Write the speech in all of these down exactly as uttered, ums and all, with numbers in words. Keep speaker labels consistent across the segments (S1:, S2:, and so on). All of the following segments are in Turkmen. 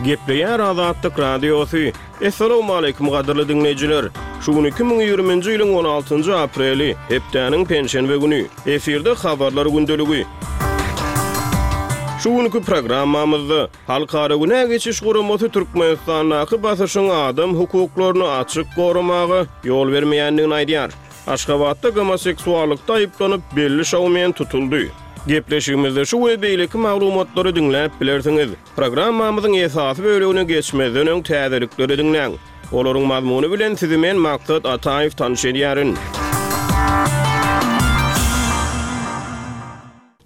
S1: Gepleýär Azatlyk Radiosy. Essalawmaleýkim gadyrly diňleýjiler! Şu gün iki müň ýigriminji ýylyň on altynjy apreli, hepdäniň penşenbe güni. Efirde Habarlar gündeligi. Şu günki programmamyzda Halkara günä geçiş guramasy Türkmenistandaky basyşyň adam hukuklaryny açyk goramaga ýol bermeýändigini aýdýar. Aşgabatda gomoseksuallykda aýyplanyp, belli şoumen tutuldy. Gepleşigimizde şu we beýleki maglumatlary diňläp bilersiňiz. Programmamyzyň esasy bölegine geçmezden öň täzelikleri diňläň. Olaryň mazmuny bilen sizi men Maksat Ataýew tanyş edýärin.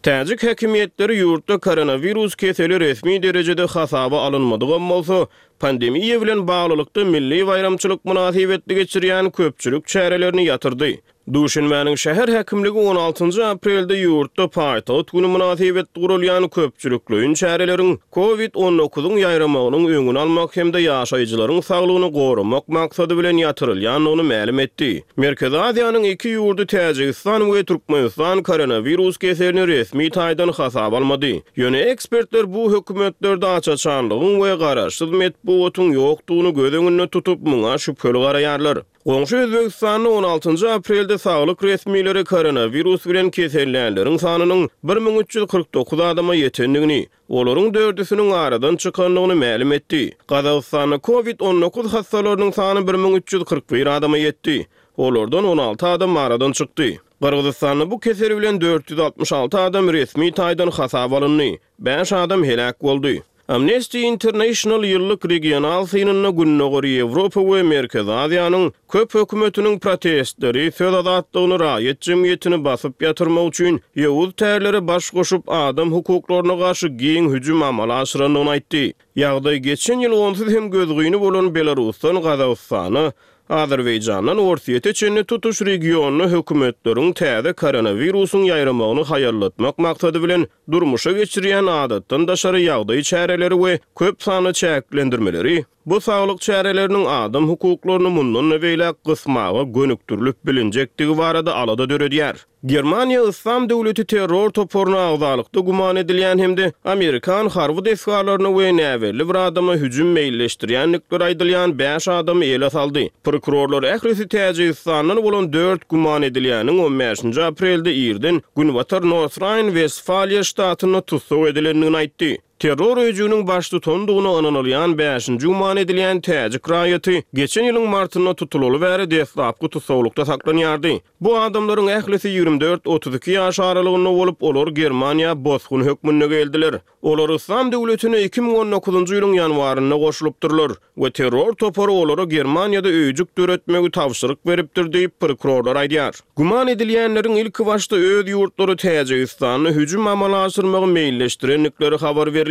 S1: Täjik häkimiýetleri ýurtda koronawirus keseli resmi derejede hasaba alynmadygam bolsa, pandemiýa bilen baglylykda milli baýramçylyk mynasybetli geçirýän köpçülik çärelerini ýatyrdy. Duşenbäniň şäher häkimligi on altynjy aprelde ýurtda paýtagt güni mynasybetli guralýan köpçülikleýin çäreleriň Covid on dokuzyň ýaýramagynyň öňüni almak hem-de ýaşaýjylaryň saglygyny goramak maksady bilen ýatyrylýandygyny mälim etdi. Merkezi Aziýanyň iki ýurdy Täjigistan we Türkmenistan koronawirus keselini resmi taýdan hasaba almady. Ýöne ekspertler bu hökümetlerde aç-açanlygyň we garaşsyz metbugatyň ýokdugyny göz öňünde tutup, muňa şübheli garaýarlar. Goňşy Özbegistanda on altynjy aprelde saglyk resmileri koronawirus bilen kesellänleriň sanynyň bir müň üç ýüz kyrk dokuz adama ýetendigini, olaryň dördüsiniň aradan çykandygyny mälim etdi. Gazagystanda Covid on dokuz hassalarynyň sany bir müň üç ýüz kyrk bir adama ýetdi. Olardan on alty adam aradan çykdy. Gyrgyzystanda bu kesel bilen dört ýüz altmyş alty adam resmi taýdan hasaba alyndy. Bäş adam heläk boldy. Amnesty International ýyllyk regional synynda Gündogar Ýewropa we Merkezi Aziýanyň köp hökümetiniň protestleri, söz azatlygyny, raýat jemgyýetini basyp ýatyrmak üçin ýowuz tärlere baş goşup, adam hukuklaryna garşy giň hüjüm amala aşyrandygyny aýtdy. Ýagdaý geçen ýyl onsuz hem gözgyny bolan Belarusdan Gazagystana, Azerbaýjandan Orsýete çenli tutuş regionda hökümetleriň täze koronawirusyň ýaýramagyny haýallatmak maksady bilen durmuşa geçirýän adatdan daşary ýagdaý çäreleri we köp sanly çäklendirmeleri bu saglyk çäreleriniň adam hukuklaryny mundan-da beýläk gysmaga gönükdirilip bilinjekdigi barada alada döredýär. Germaniýa Yslam döwleti terror toparyna agzalykda güman edilýän hem-de amerikan harby desgalaryna we näbelli bir adama hüjüm meýilleşdirýändikleri aýdylýan bäş adamy ele saldy. Prokurorlar ählisi Täjigistandan bolan dört güman edilýäniň on bäşinji aprelde irden Günbatar North-Raýn-Westfaliýa ştatynda tussag edilendigini aýtdy. Terror öýjüginiň baştutandygyna ynanylýan bäşinji güman edilýän täjik raýaty geçen ýylyň martynda tutulaly bäri deslapky tussaglykda saklanýardy. Bu adamlaryň ählisi ýigrimi dört-otuz iki ýaş aralygynda bolup, olar Germaniýa bosgun hökmünde geldiler. Olar Yslam döwletine iki müň on dokuzynjy ýylyň ýanwarynda goşulypdyrlar we terror topary olara Germaniýada öýjük döretmegi tabşyryk beripdir diýip, prokurorlar aýdýar. Güman edilýänleriň ilkibaşda öz ýurtlary Täjigistanda hüjüm amala aşyrmagy meýilleşdirendikleri habar berilýär.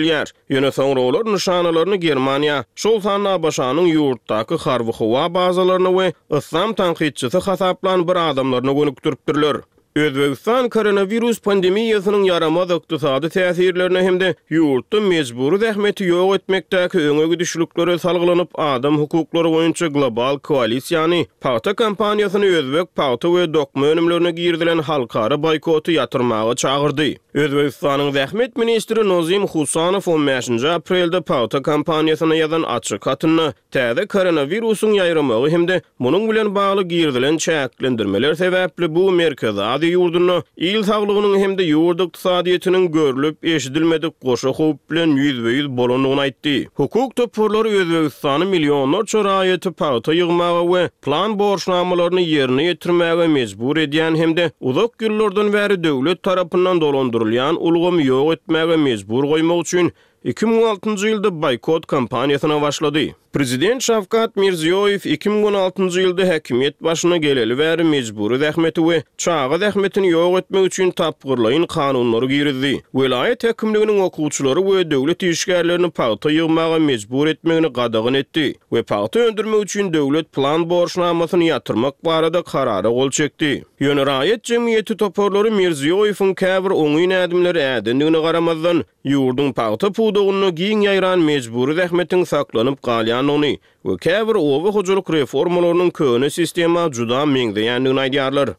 S1: Ýöne soňra olar nyşanalaryny Germaniýa, şol sanda ABŞ-nyň ýurtdaky harby-howa bazalaryna we yslam tankytçysy hasaplan bir adamlaryna gönükdiripdirler. Özbegistan koronawirus pandemiýasynyň ýaramaz ykdysady täsirlerine hem-de ýurtda mejbury zähmeti ýok etmekdäki öňe gidişliklere salgylanyp, adam hukuklary boýunça global koalisiýany, pagta kompaniýasyny özbek pagta we dokma önümlerine girizilen halkara boýkoty ýatyrmaga çagyrdy. Özbegistanyň zähmet ministri Nozim Husanow on bäşinji aprelde pagta kompaniýasyna ýazan açyk hatynda täze koronawirusyň ýaýramagy hem-de munuň bilen bagly girizilen çäklendirmeler sebäpli bu Merkezi Aziýa ýurdunda il saglygynyň hem-de ýurt ykdysadyýetiniň görlüp-eşidilmedik goşa howp bilen ýüzbe-ýüz bolandygyny aýtdy. Hukuk toparlary Özbegistany millionlarça raýaty pagta ýygmaga we plan borçnamalaryny ýerine ýetirmäge mejbur edýän hem-de uzak ýyllardan bäri döwlet tarapyndan dolandyrylýan ulgamy ýok etmäge mejbur goýmak üçin iki müň altynjy ýylda boýkot kampaniýasyna başlady. Prezident Şawkat Mirziýoýew iki müň on altynjy ýylda häkimiýet başyna geleli bäri mejbury zähmeti we çaga zähmetini ýok etmek üçin tapgyrlaýyn kanunlary girizdi. Welaýat häkimliginiň okuwçylary we döwlet işgärlerini pagta ýygmaga mejbur etmegini gadagan etdi we pagta öndürmek üçin döwlet plan borçnamasyny ýatyrmak barada karara gol çekdi. Ýöne raýat jemgyýeti toparlary Mirziýoýewiň käbir oňyn ädimleri ädendigine garamazdan, ýurduň pagta pudagynda giň ýaýran mejbury zähmetiň saklanyp galýandygyny we käbir oba hojalyk reformalarynyň köne sistema juda meňzeýändigini aýdýarlar.